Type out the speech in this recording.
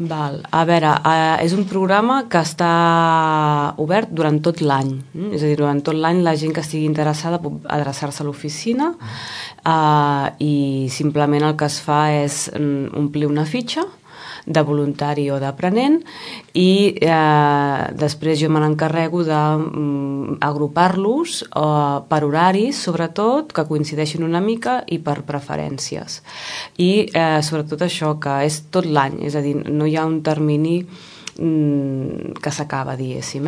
Val. A veure, és un programa que està obert durant tot l'any. És a dir, durant tot l'any la gent que estigui interessada pot adreçar-se a l'oficina i simplement el que es fa és omplir una fitxa de voluntari o d'aprenent i després jo me n'encarrego d'agrupar-los per horaris, sobretot, que coincideixin una mica i per preferències. I sobretot això, que és tot l'any, és a dir, no hi ha un termini que s'acaba, diguéssim.